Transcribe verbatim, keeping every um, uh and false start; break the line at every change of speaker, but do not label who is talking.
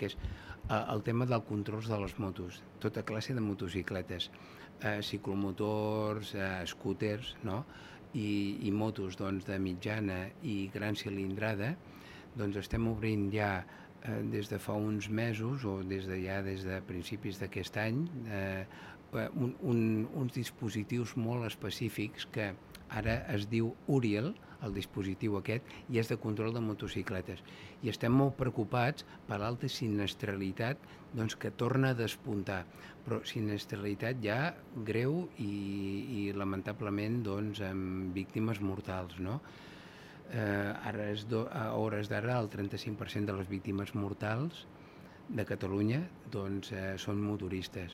que és eh, el tema del control de les motos, tota classe de motocicletes, eh, ciclomotors, eh, scooters, no? I, i motos doncs, de mitjana i gran cilindrada, doncs estem obrint ja eh, des de fa uns mesos o des de ja des de principis d'aquest any eh, un, un, uns dispositius molt específics que ara es diu Uriel, el dispositiu aquest, i és de control de motocicletes. I estem molt preocupats per l'alta sinistralitat doncs, que torna a despuntar, però sinistralitat ja greu i, i lamentablement doncs, amb víctimes mortals, no? Eh, ara és do, a hores d'ara el trenta-cinc per cent de les víctimes mortals de Catalunya doncs, eh, són motoristes.